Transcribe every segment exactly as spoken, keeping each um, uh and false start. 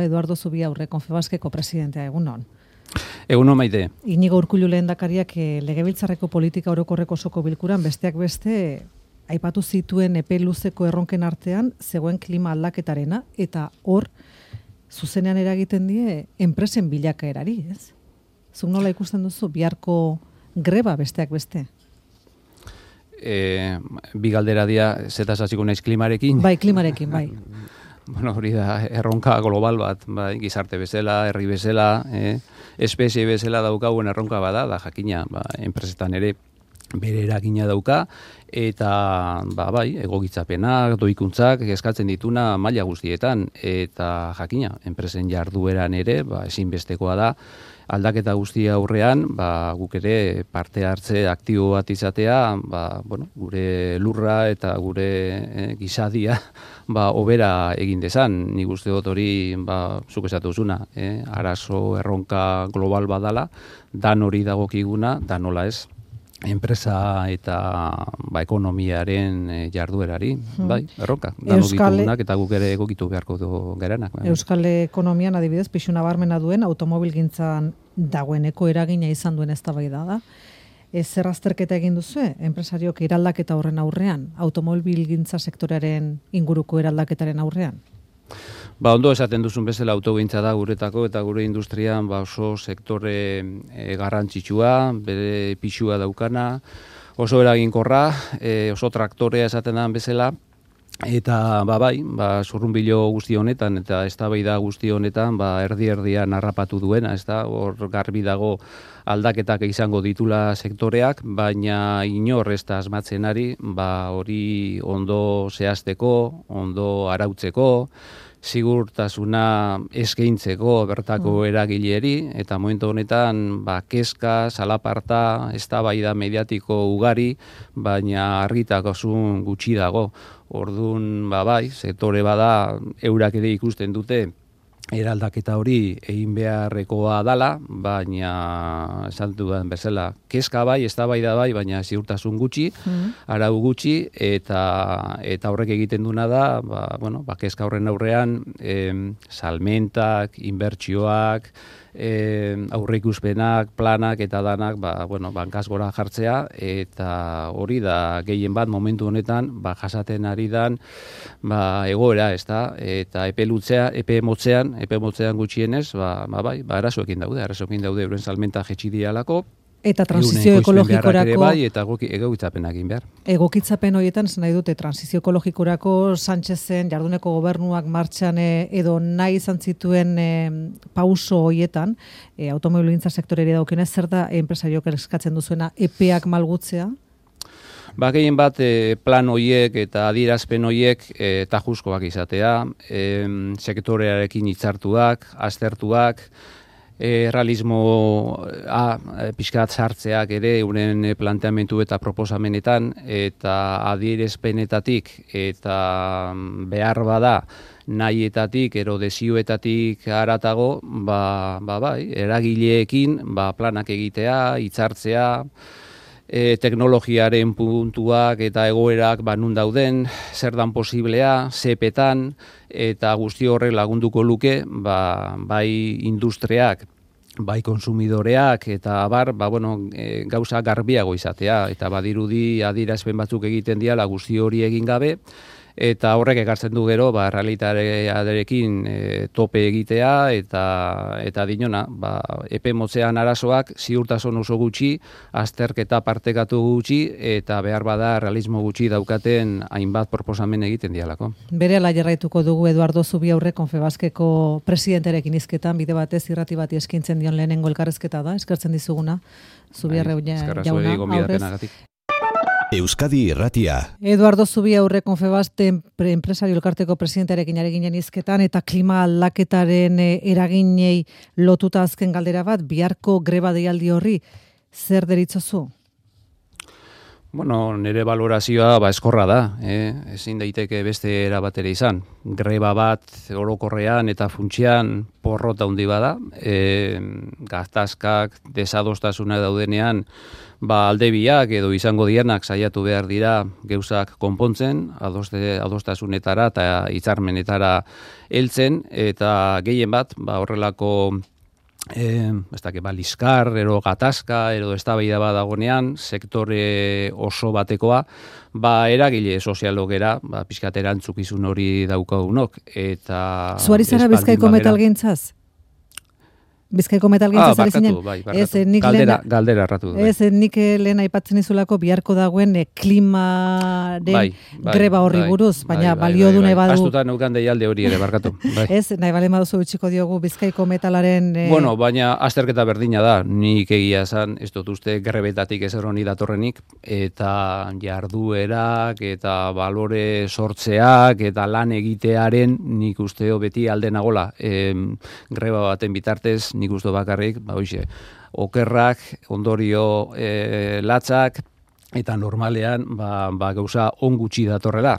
Eduardo Zubiaurre, Confebaskeko presidentea, egunon. Egunon Maite. Inigo Urkullu lehendakariak legebiltzarreko politika orokorreko osoko bilkuran besteak beste aipatu zituen epe luzeko erronken artean zegoen klima aldaketarena eta hor zuzenean eragiten die enpresen bilakaerari, ez? Zuk nola ikusten duzu biharko greba besteak beste? E, bi galdera dia zetaz hasiko naiz klimarekin. Bai, klimarekin, bai. Bueno, hori da erronka global bat, bai, gizarte bezala, herri bezala, eh, espezie bezala daukagun erronka bada, da jakina, ba, enpresetan ere bere eragina dauka, eta ba, bai, egokitzapenak, doikuntzak eskatzen dituna maila guztietan, eta jakina, enpresen jardueran ere, ba, ezinbestekoa da, aldaketa guztia aurrean, ba, guk ere parte hartze aktibo bat izatea, ba, bueno, gure lurra eta gure eh, gizadia ba, obera egin dezan. Nik uste dut hori, ba, zuk esatu zuna, eh, arazo erronka global badala, dan hori dagokiguna, dan nola ez, enpresa eta ba, ekonomiaren e, jarduerari, hmm. bai, erronka. Dano ditugunak eta guk ere egokitu beharko du geranak. Bai. Euskal Ekonomian adibidez, pixu nabarmena duen automobilgintzan dagoeneko eragina izan duen eztabaida da. Ez zer azterketa egin duzue, enpresariok eraldaketa horren aurrean, automobilgintza sektorearen inguruko eraldaketaren aurrean? Ba, ondo esaten duzun bezala autogintza da guretako eta gure industrian ba, oso sektore e, garrantzitsua, bere pixua daukana, oso eraginkorra, e, oso traktorea esaten da bezala, eta ba, bai, ba, zurrunbilo guzti honetan eta eztabaida guzti honetan ba, erdi-erdian harrapatu duena, ez da, hor garbi dago aldaketak izango ditula sektoreak, baina inor ez da asmatzen ari, ba, hori ondo zehazteko, ondo arautzeko, sigurtasuna eskaintzeko bertako eragileri, eta momentu honetan ba, kezka, salaparta, eztabaida mediatiko ugari, baina argitakosun gutxi dago. Orduan, ba, bai, sektore bada eurak ere ikusten dute eraldaketa hori egin beharrekoa dala, baina esan dudan bezala, kezka bai, eztabaida bai, baina ziurtasun gutxi, mm. arau gutxi, eta eta horrek egiten duna da, ba, bueno, ba, kezka horren aurrean, em, salmentak, inbertsioak, E, aurreikuspenak, planak eta danak ba, bueno, bankaz gora jartzea, eta hori da gehien bat momentu honetan ba, jasaten ari dan ba, egoera, ez da, eta epe lutzea, epe motzean, epe motzean gutxienez, ba, ba, bai, ba, arazoekin daude, arazoekin daude euren salmenta jetxi dialako, eta transizio ekologikorako bai, eta egokitzapenak egin behar. Egokitzapen horietan zen nahi dute transizio ekologikorako Sánchezen jarduneko gobernuak martxan edo nahi izan zituen e, pauso horietan, e, automobilgintza sektoreri daukenez, zer da enpresariok eskatzen duzuena epeak malgutzea? Ba, gehien bat e, plan hoiek eta adierazpen hoiek e, tajuzkoak izatea, e, sektorearekin hitzartuak, aztertuak, E, realismo a, pixkat sartzeak ere euren planteamendu eta proposamenetan eta adierazpenetatik eta behar bada nahietatik, ero desioetatik haratago, ba, ba, bai, eragileekin ba, planak egitea, hitzartzea, e, teknologiaren puntuak eta egoerak ba, nun dauden, zer dan posiblea, zepetan, eta guzti horrek lagunduko luke, ba, bai industriak, bai konsumidoreak, eta bar, ba, bueno, e, gauza garbiago izatea, eta badirudi adierazpen batzuk egiten diala guzti hori egin gabe, eta horrek ekartzen du gero, ba, realitatearekin e, tope egitea, eta eta dinona, ba, epe motzean arazoak ziurtasun oso gutxi, azterketa partekatu gutxi, eta behar bada realismo gutxi daukaten hainbat proposamen egiten dialako. Berehala jarraituko dugu Eduardo Zubiaurre Confebaskeko presidentearekin hizketan, bide batez irrati bati eskintzen dion lehenengo elkarrezketa da, eskertzen dizuguna, Zubiaurre jauna, aurrez. Euskadi Irratia. Eduardo Zubiaurre Confebaste enpresario elkarteko presidentearekin ari ginen hizketan eta klima aldaketaren eraginei lotuta azken galdera bat, biharko greba deialdi horri zer deritzozu? Bueno, nire valorazioa ba eskorra da, eh? Ezin daiteke beste era batera izan. Greba bat orokorrean eta funtsian porrota handi bada, e, gatazkak, desadostasuna daudenean, ba alde biak edo izango dianak saiatu behar dira gauzak konpontzen, adoste, adostasunetara eta hitzarmenetara heltzen, eta gehien bat, ba horrelako Eh, ez dakit, ba, liskar, ero gatazka, ero eztabaida bat dagonean, sektore oso batekoa, ba, eragile sozialogera, ba, pixkat erantzukizun hori daukagunok, eta... Zuari zara Bizkaiko metalgintzaz? Bizkaiko metalgintza ah, zari zinen? Bai, ez, nik galdera, lehen, galdera erratu. Bai. Ez, nik lehen aipatzen izulako biharko dagoen e, klimaren bai, bai, greba horri bai, buruz, baina bai, bai, balio bai, du bai, nahi badu... Astuta neukan deialde hori ere, barkatu. Bai. Ez, nahi bale maduzu utxiko diogu Bizkaiko metalaren... E... Bueno, baina azterketa berdina da, nik egia esan, ez dut uste grebetatik ezer honi datorrenik, eta jarduerak, eta balore sortzeak, eta lan egitearen, nik usteo beti alde nagola. E, greba baten bitartez, nik uste bakarrik, ba hoize, okerrak, ondorio e, latzak, eta normalean ba, ba gauza on gutxi datorrela,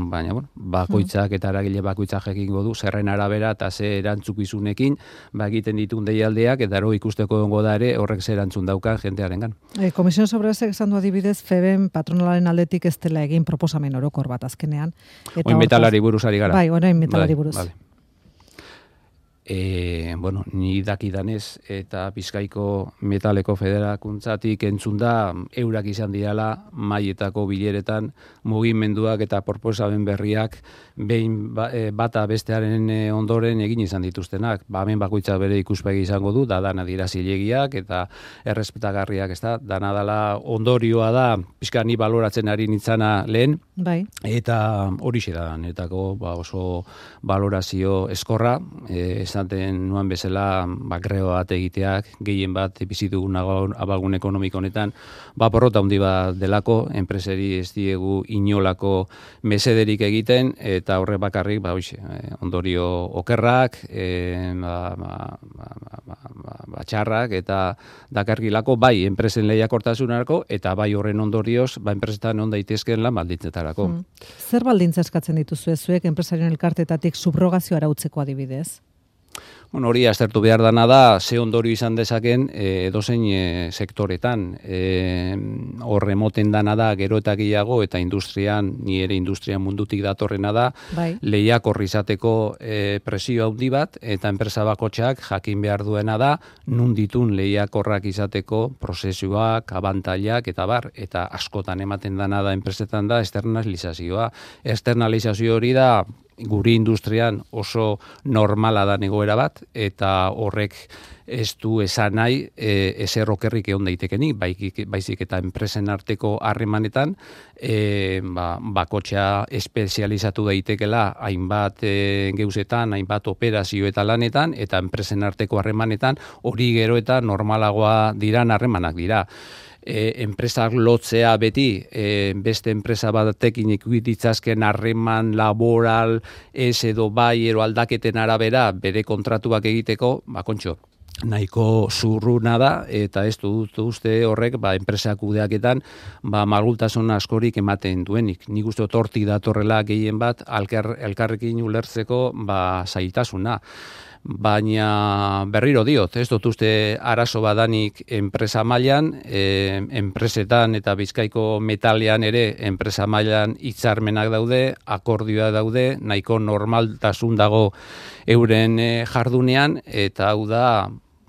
baina bueno, bakoitzak eta eragile bakoitzak egingo du zerren arabera eta ze erantzukizunekin ba egiten ditun deialdeak eta ero ikusteko egongo da ere horrek ze erantzun daukan jentearengan. E, Komisiones Obrerasek esan du adibidez Feben patronalaren aldetik ez dela egin proposamen orokor bat azkenean. Oin metalari buruz ari gara. Bai, orain metalari buruz. Vale. E, bueno, ni dakidanez eta Bizkaiko Metaleko Federakuntzatik entzun da eurak izan dirala maietako bileretan mugimenduak eta proposamen berriak behin ba, e, bata bestearen ondoren egin izan dituztenak. Ba, hemen bakoitza bere ikuspegi izango du, da dana dira zilegiak eta errespetagarriak, ez da, dana dala ondorioa da, pixka ni baloratzen ari nintzana lehen, bai. Eta horixe da, netako ba, oso balorazio eskorra, e, esaten nuan bezala ba, greba bat egiteak, gehien bat bizitugun abagun ekonomiko honetan, ba, porrota handi bat delako, enpreseri ez diegu inolako mesederik egiten, eta horre bakarrik, ba, oixe, ondorio okerrak, e, ba, ba, ba, ba, ba, ba, txarrak, eta dakargilako, bai, enpresen lehiakortasunarako, eta bai horren ondorioz, ba, enpresetan on daitezken lan baldintzetarako. Hmm. Zer baldintza eskatzen dituzu zuek enpresarien elkartetatik subrogazio arautzeko adibidez? Bueno, hori aztertu behar dana da, ze ondorio izan dezaken e, edozein e, sektoretan. E, horre moten dana da, gero eta gehiago, eta industrian, ni ere industrian mundutik datorrena da, bai. Lehiak horri izateko e, presio handi bat, eta enpresa bakotxak jakin behar duena da, nun ditun lehiak horrak izateko prozesuak, abantailak, eta bar, eta askotan ematen dana da enpresetan da, externalizazioa. Externalizazio hori da, guri industrian oso normala da egoera bat, eta horrek ez du esan nahi e, ezer okerrik egon daitekenik, baizik eta enpresen arteko harremanetan e, ba, bakotxa espezializatu daitekela hainbat e, geuzetan, hainbat operazio eta lanetan, eta enpresen arteko harremanetan hori gero eta normalagoa diran harremanak dira. E, enpresak lotzea beti e, beste enpresa batekin ikuititzazken harreman laboral ez edo bai ero aldaketen arabera bere kontratuak egiteko, ba kontxo, nahiko zurruna da, eta ez dut uste horrek ba, enpresak kudeaketan ba, malgultasun askorik ematen duenik. Nik uste hortik datorrela gehien bat alkar, elkarrekin ulertzeko ba, zailtasuna. Baina berriro diot, ez dut uste arazo badanik enpresa mailan, e, enpresetan eta Bizkaiko Metalean ere enpresa mailan hitzarmenak daude, akordioa daude, nahiko normaltasun dago euren e, jardunean, eta hau da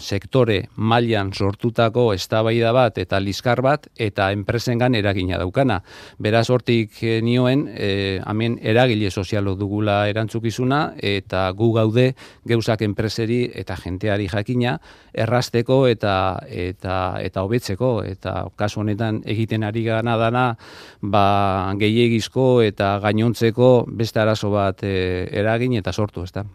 sektore mailan sortutako eztabaida bat eta liskar bat eta enpresengan eragina daukana. Beraz hortik e, nioen, e, hemen eragile sozialo dugula erantzukizuna eta gu gaude geuzak enpreseri eta jenteari jakina errasteko eta eta eta hobetzeko, eta kasu honetan egiten ari gana dana ba gehiegizko eta gainontzeko beste arazo bat e, eragin eta sortu, ezta.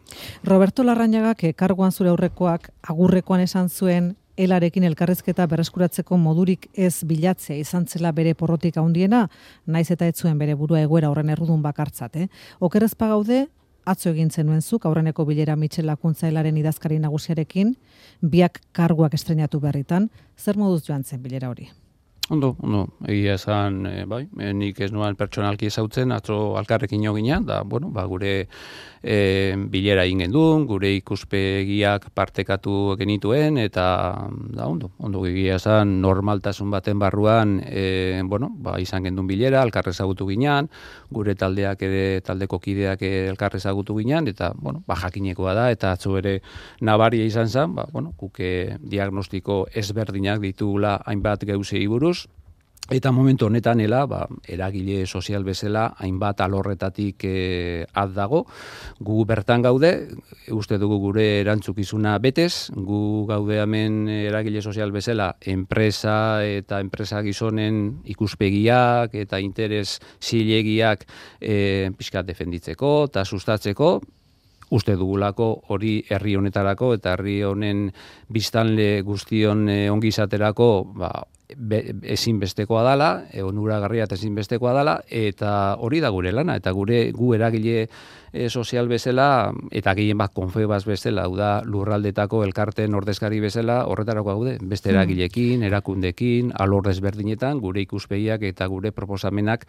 Roberto Larrañagak karguan zure aurrekoak agurrekoan esan zuen elarekin elkarrizketa berreskuratzeko modurik ez bilatzea izan zela bere porrotik handiena, naiz eta ez zuen bere burua egoera horren errudun bakartzat. Eh? Okerrezpa gaude, atzo egin zenuen zuk, aurreneko bilera Mitxel Lakuntza helaren idazkari nagusiarekin, biak karguak estrenatu berritan, zer moduz joan zen bilera hori? Ondo, ondo, egia esan, e, bai, e, nik ez nuan pertsonalki ezautzen, atzo alkarrekin jo ginean, da, bueno, ba, gure e, bilera egin gendun, gure ikuspegiak partekatu genituen, eta, da, ondo, ondo egia esan, normaltasun baten barruan, e, bueno, ba, izan gendun bilera, alkarre ezagutu ginean, gure taldeak ere, taldeko kideak elkarre ezagutu ginean, eta, bueno, ba, jakinekoa da, eta atzo ere nabaria izan zen, ba, bueno, kuke diagnostiko ezberdinak ditugula hainbat geuzei buruz, eta momentu honetan ela, ba, eragile sozial bezala hainbat alorretatik e, ad dago. Gu bertan gaude, uste dugu gure erantzukizuna betez, gu gaude hemen eragile sozial bezala enpresa eta enpresa gizonen ikuspegiak eta interes zilegiak e, pixkat defenditzeko eta sustatzeko, uste dugulako hori herri honetarako eta herri honen biztanle guztion e, ongizaterako, ba, Be, ezinbestekoa dala, e, onuragarria eta ezinbestekoa dala, eta hori da gure lana, eta gure gu eragile e, sozial bezala, eta gehien bat konfebaz bezala, hau da lurraldetako elkarten ordezkari bezala, horretarako gaude, beste eragilekin, erakundekin, alor desberdinetan, gure ikuspegiak eta gure proposamenak,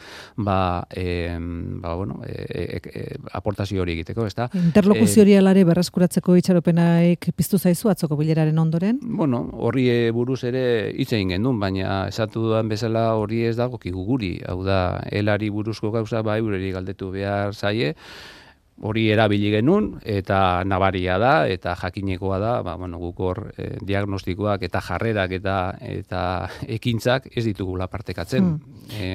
ba, e, ba bueno, e, e, e, aportazio hori egiteko, ezta? Interlokuzio hori alare berreskuratzeko itxaropenaik piztu zaizu atzoko bileraren ondoren? Bueno, horri buruz ere hitz egin gendun, baina esatu dudan bezala hori ez dago guri, hau da, helari buruzko gauza ba eureri galdetu behar zaie, hori erabili genuen, eta nabaria da, eta jakinekoa da, ba, bueno, guk hor eh, diagnostikoak eta jarrerak eta eta ekintzak ez ditugula partekatzen. Mm. E,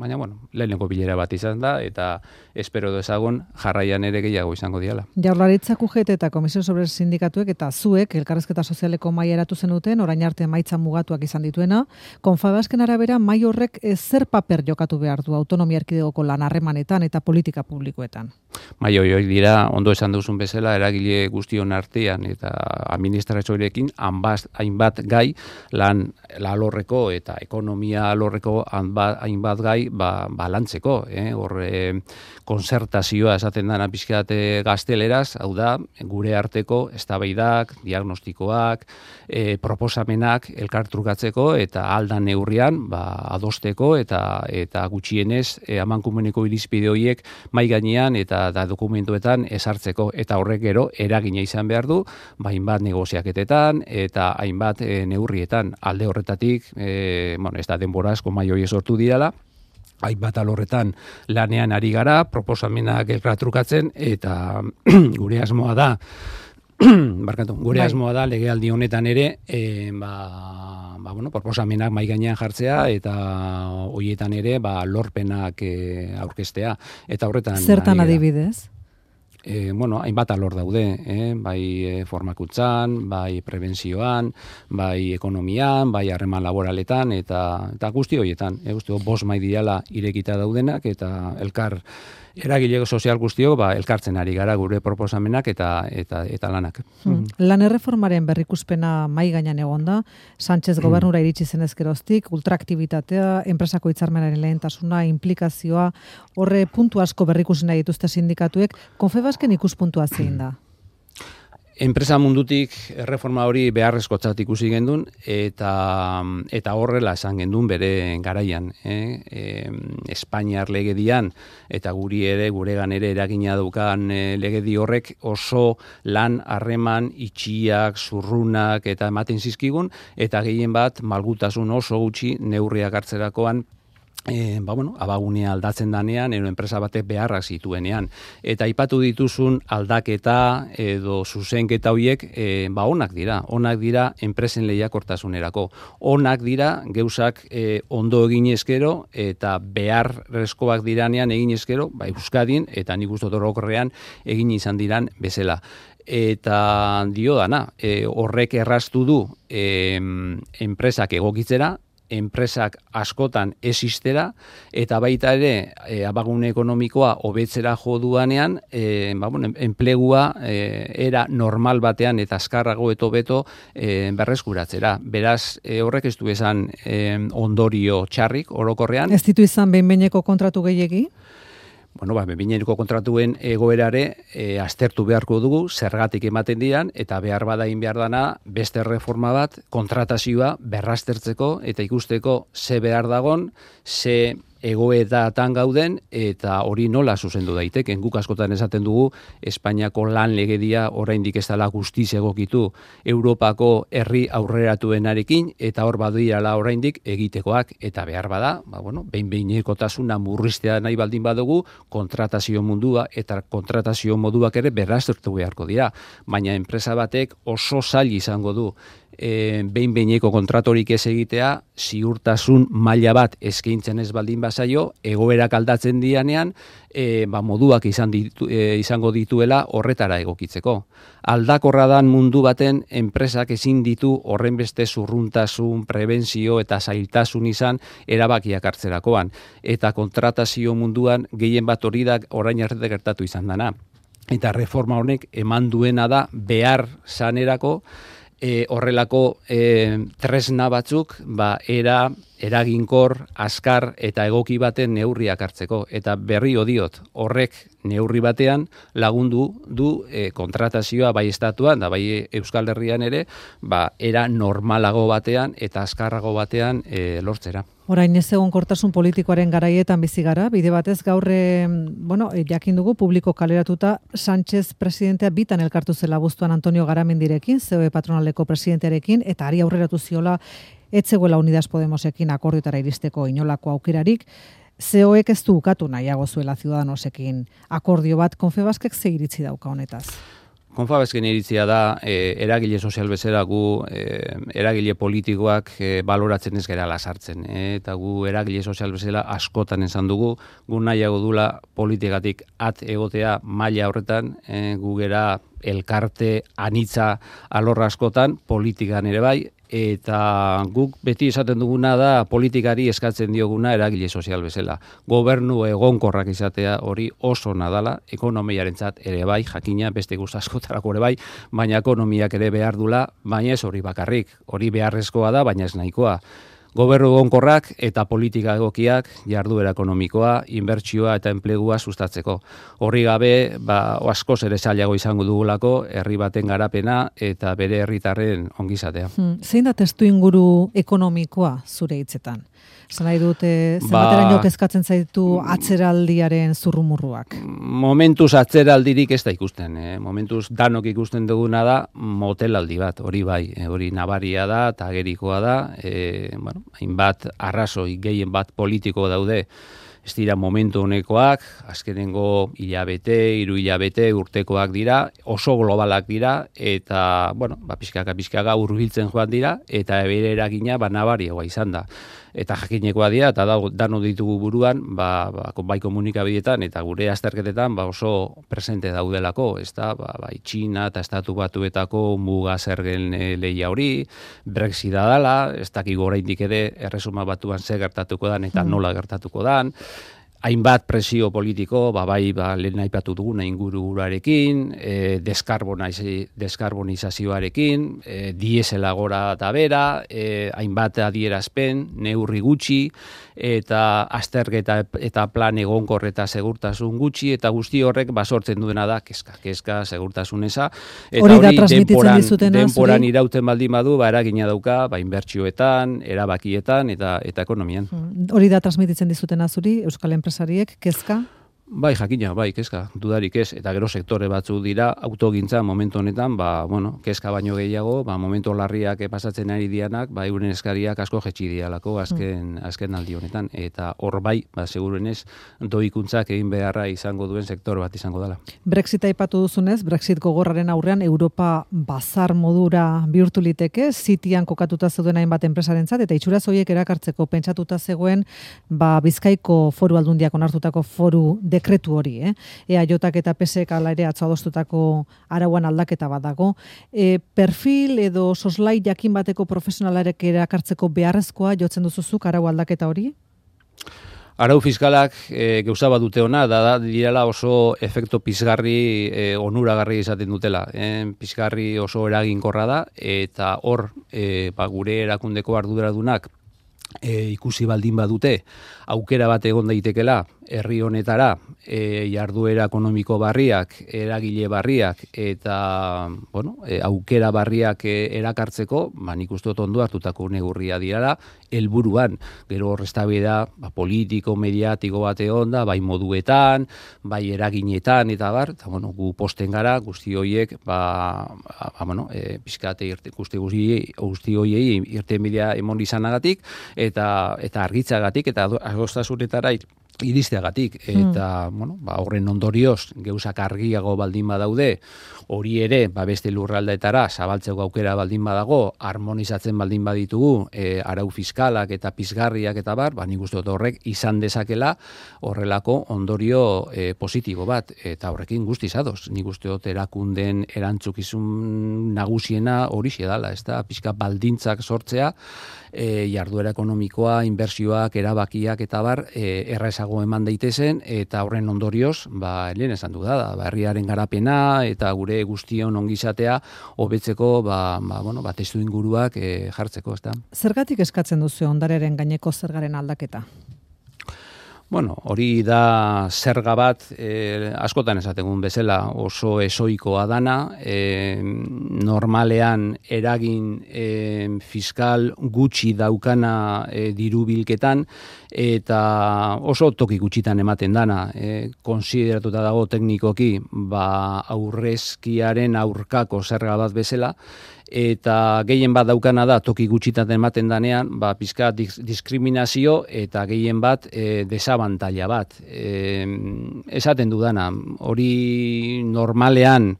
baina, bueno, lehenengo bilera bat izan da, eta espero dezagun jarraian ere gehiago izango diala. Jaurlaritzak U G T eta Komisio Sobre Sindikatuek eta zuek elkarrizketa sozialeko maila eratu zenuten, orain arte emaitza mugatuak izan dituena, Confebasken arabera mai horrek zer paper jokatu behar du autonomia erkidegoko lan harremanetan eta politika publikoetan? Mai hori dira, ondo esan duzun bezala, eragile guztion artean eta administrazioarekin hainbat gai lan alorreko eta ekonomia alorreko hainbat gai ba, balantzeko. Eh? Hor, eh, konzertazioa esaten dana pixkat gazteleraz, hau da, gure arteko eztabaidak, diagnostikoak, eh, proposamenak elkartrukatzeko eta aldan neurrian ba, adosteko eta eta gutxienez eh, amankomuneko irizpide horiek mai gainean eta da dokumentuetan esartzeko, eta horrek gero eragina izan behar du, ba, hainbat negoziaketetan eta hainbat e, neurrietan alde horretatik, e, bueno, ez da denbora asko mai hori sortu dirala, hainbat alorretan lanean ari gara, proposamenak elkartrukatzen, eta gure asmoa da, barkatu, gure asmoa da legealdi honetan ere, e, ba, ba, bueno, proposamenak mai gainean jartzea eta horietan ere ba, lorpenak e, aurkeztea. Eta horretan zertan adibidez? E, bueno, hainbat alor daude, eh? bai e, formakuntzan, bai prebentzioan, bai ekonomian, bai harreman laboraletan, eta, eta guzti horietan. E, guzti bost mai diala irekita daudenak, eta elkar eragile sozial guztiok ba, elkartzen ari gara gure proposamenak eta eta eta lanak. Hmm. Lan erreformaren berrikuspena mai gainean egonda, Sánchez gobernura iritsi zenez geroztik, ultraaktibitatea, enpresako hitzarmenaren lehentasuna, implikazioa, horre puntu asko berrikusi nahi dituzte sindikatuek, Confebasken ikuspuntua zein da? Enpresa mundutik erreforma hori beharrezkotzat ikusi gendun eta eta horrela esan gendun bere garaian, eh? E, Espainiar legedian eta guri ere guregan ere eragina daukan e, legedi horrek oso lan harreman itxiak, zurrunak eta ematen zizkigun, eta gehien bat malgutasun oso gutxi neurriak hartzerakoan E, ba, bueno, abagunea aldatzen danean, ero enpresa batek beharrak zituenean. Eta aipatu dituzun aldaketa edo zuzenketa horiek e, ba, onak dira. Onak dira enpresen lehiakortasunerako. Onak dira geuzak e, ondo egin eskero eta beharrezkoak diranean egin eskero, ba, Euskadin eta nik uste orokorrean egin izan diran bezala. Eta dio dana, e, horrek erraztu du e, enpresak egokitzera, enpresak askotan existera, eta baita ere e, abagune ekonomikoa hobetzera jo duanean, e, ba, bueno, enplegua e, era normal batean eta azkarrago eto beto e, berreskuratzera. Beraz, e, horrek ez du esan e, ondorio txarrik orokorrean. Ez ditu izan behin-behineko kontratu gehiegi? bueno, ba, behin-behineko kontratuen egoerare e, aztertu beharko dugu, zergatik ematen dian, eta behar badain behar dana, beste reforma bat, kontratazioa berraztertzeko, eta ikusteko ze behar dagon, ze egoetatan gauden, eta hori nola zuzendu daiteken. Guk askotan esaten dugu, Espainiako lan legedia oraindik ez dela guztiz egokitu Europako herri aurreratuenarekin, eta hor badirala oraindik egitekoak, eta behar bada, ba, bueno, behin-behinekotasuna murriztea nahi baldin badugu, kontratazio mundua eta kontratazio moduak ere berraztertu beharko dira. Baina enpresa batek oso zail izango du E, behin-behineko kontratorik ez egitea, ziurtasun maila bat eskaintzen ez baldin bazaio, egoerak aldatzen dianean, e, ba, moduak izan ditu, e, izango dituela horretara egokitzeko. Aldakorra dan mundu baten enpresak ezin ditu horren beste zurruntasun, prebentzio eta zailtasun izan erabakiak hartzerakoan. Eta kontratazio munduan gehien bat hori da orain arte gertatu izan dana. Eta reforma honek eman duena da behar sanerako, E, horrelako e, tresna batzuk, ba, era, eraginkor, askar eta egoki baten neurriak hartzeko. Eta berri odiot, horrek neurri batean lagundu du e, kontratazioa bai estatuan, da bai Euskal Herrian ere, ba, era normalago batean eta askarrago batean e, lortzera. Orain ez egonkortasun politikoaren garaietan bizi gara, bide batez gaur e, bueno, jakin dugu publiko kaleratuta Sánchez presidentea bitan elkartu zela abuztuan Antonio Garamendirekin, C O E patronaleko presidentearekin, eta ari aurreratu ziola etzegoela Unidas Podemosekin akordiotara iristeko inolako aukerarik. C O Ek ez du ukatu nahiago zuela Ciudadanosekin akordio bat, Confebaskek ze iritzi dauka honetaz? Confebasken iritzia da, e, eragile sozial bezala gu, e, eragile politikoak e, baloratzen ez gara lasartzen. E, eta gu eragile sozial bezala askotan esan dugu, gu nahiago dula politikatik at egotea maila horretan, e, gu gera elkarte anitza alorra askotan, politikan ere bai, eta guk beti esaten duguna da politikari eskatzen dioguna eragile sozial bezala. Gobernu egonkorrak izatea hori oso nadala, ekonomiarentzat ere bai, jakina beste guz askotarako ere bai, baina ekonomiak ere behar dula, baina ez hori bakarrik, hori beharrezkoa da, baina ez nahikoa. Gobernu egonkorrak eta politika egokiak, jarduera ekonomikoa, inbertsioa eta enplegua sustatzeko. Horri gabe, ba, askoz ere zailago izango dugulako, herri baten garapena eta bere herritarren ongizatea. Hmm. Zein da testu inguru ekonomikoa zure hitzetan? Zan nahi dute, zenbateraino ba, kezkatzen zaitu atzeraldiaren zurrumurruak? Momentuz atzeraldirik ez da ikusten. Eh? Momentuz danok ikusten duguna da motelaldi bat, hori bai, eh, hori nabaria da, eta agerikoa da, eh, bueno, hainbat arrazoi gehien bat politiko daude, ez dira momentu honekoak, azkenengo hilabete, hiru hilabete urtekoak dira, oso globalak dira, eta, bueno, ba, pixkaka, pixkaka hurbiltzen joan dira, eta bere eragina ba, nabariagoa izan da. Eta jakinekoa dira, eta da, dano ditugu buruan, ba, ba, bai komunikabidetan, eta gure azterketetan ba, oso presente daudelako, ez da, ba, bai Txina eta Estatu Batuetako muga zergen e, lehia hori, Brexita dala, ez dakik oraindik ere Erresuma Batuan ze gertatuko dan, eta nola gertatuko dan, hainbat presio politiko, ba, bai, ba, lehen aipatu duguna ingururarekin, e, deskarbonizazioarekin, e, diesela gora eta bera, e, hainbat adierazpen, neurri gutxi, eta azterketa eta plan egonkor eta segurtasun gutxi, eta guzti horrek basortzen duena da, keska, keska, segurtasun eza, eta hori, hori denporan, denporan irauten baldin badu, ba, eragina dauka, ba, inbertsioetan, erabakietan, eta, eta ekonomian. Hori da transmititzen dizutena zuri, Euskal Enpresariek, kezka? Bai, jakina, bai, kezka, dudarik ez, eta gero sektore batzu dira, autogintza momentu honetan, ba, bueno, kezka baino gehiago, ba, momentu larriak pasatzen ari dianak, ba, euren eskariak asko jetxi dialako azken, mm. azken aldi honetan, eta hor bai, ba, segurenez, doikuntzak egin beharra izango duen sektor bat izango dela. Brexit aipatu duzunez, Brexit gogorraren aurrean Europa bazar modura bihurtu liteke, Zitian kokatuta zeuden hainbat enpresarentzat, eta itxuraz horiek erakartzeko pentsatuta zegoen, ba, Bizkaiko foru aldundiak onartutako foru dekretu hori, eh? E A J eta P S ek ala ere atzo adostutako arauan aldaketa bat dago. E, perfil edo soslai jakin bateko profesionalarek erakartzeko beharrezkoa jotzen duzuzuk arau aldaketa hori? Arau fiskalak e, gauza bat dute ona, da, da direla oso efekto pizgarri, e, onuragarri izaten dutela. E, pizgarri oso eraginkorra da, eta hor e, ba, gure erakundeko arduradunak e, ikusi baldin badute, aukera bat egon daitekela, herri honetara e, jarduera ekonomiko barriak, eragile barriak eta bueno, e, aukera barriak e, erakartzeko, ba, nik uste dut ondo hartutako neurria dirala, helburuan, gero horreztabida ba, politiko, mediatiko bat egon da, bai moduetan, bai eraginetan, eta bar, eta bueno, gu posten gara, guzti horiek, ba, ba bueno, e, pizkate irte, guzti guzti horiei irten bidea emon izanagatik, eta, eta argitzagatik, eta adostasunetara iristeagatik, eta hmm. bueno, ba, horren ondorioz geuzak argiago baldin badaude, hori ere ba, beste lurraldeetara zabaltzeko aukera baldin badago, harmonizatzen baldin baditugu e, arau fiskalak eta pizgarriak eta bar, ba, nik uste dut horrek izan dezakela horrelako ondorio e, positibo bat, eta horrekin guztiz ados, nik uste dut erakunden erantzukizun nagusiena horixe dala, ez da, pizka baldintzak sortzea, E, jarduera ekonomikoa, inbertsioak, erabakiak eta bar, e, errazago eman daitezen, eta horren ondorioz, ba, lehen esan du da, ba, herriaren garapena eta gure guztion ongizatea hobetzeko, ba, ba, bueno, ba, testu inguruak e, jartzeko, ez da. Zergatik eskatzen duzu ondarearen gaineko zergaren aldaketa? Bueno, hori da zerga bat, eh, askotan esategun bezala oso esoikoa dana, eh, normalean eragin eh, fiskal gutxi daukana eh, diru bilketan, eta oso toki gutxitan ematen dana, eh, konsideratuta dago teknikoki, ba, aurrezkiaren aurkako zerga bat bezala, eta gehien bat daukana da toki gutxitan ematen danean, ba, pizka diskriminazio eta gehien bat e, desabantaila bat. E, esaten dudana, hori normalean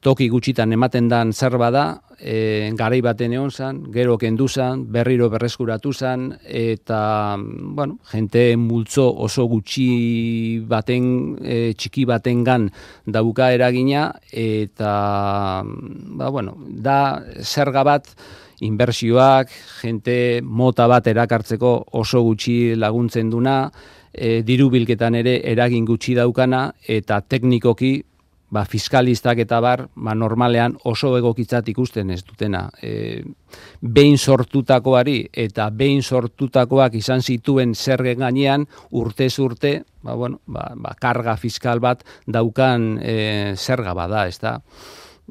toki gutxitan ematen dan zerba da, e, garai baten egon zan, gero kendu zan, berriro berreskuratu zan, eta, bueno, jente multzo oso gutxi baten, e, txiki batengan dauka eragina, eta, ba, bueno, da zerga bat, inbertsioak, jente mota bat erakartzeko oso gutxi laguntzen duna, e, diru bilketan ere eragin gutxi daukana, eta teknikoki, ba, fiskalistak eta bar, ba, normalean oso egokitzat ikusten ez dutena. E, behin sortutakoari eta behin sortutakoak izan zituen zergen gainean, urtez urte, ba, bueno, ba, ba, karga fiskal bat daukan e, zerga bada, ez da.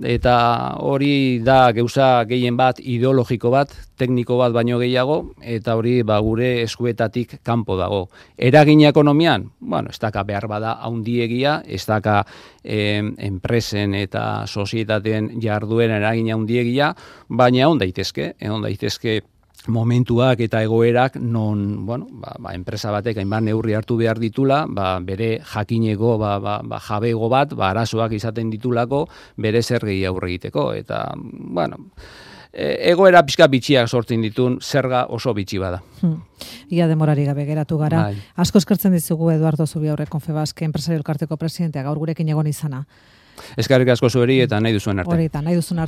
Eta hori da geuza gehien bat ideologiko bat, tekniko bat baino gehiago, eta hori ba, gure eskuetatik kanpo dago. Eragina ekonomian, bueno, ez daka behar bada haundiegia, ez daka eh, enpresen eta sozietateen jarduera eragina haundiegia, baina on daitezke, on daitezke momentuak eta egoerak non, bueno, ba, ba, enpresa batek hainbat neurri hartu behar ditula, ba, bere jakineko ba, ba, ba, jabego bat, ba, arazoak izaten ditulako, bere zergei aurre egiteko. Eta, bueno, egoera pixka bitxiak sortzen ditun, zerga oso bitxi bada. Hmm. Ia demorari gabe geratu gara. Bai. Asko eskertzen dizugu Eduardo Zubiaurre Confebask enpresario elkarteko presidentea gaur gurekin egon izana. Eskerrik asko zueri eta nahi duzuen arte. Horita, nahi duzuen arte.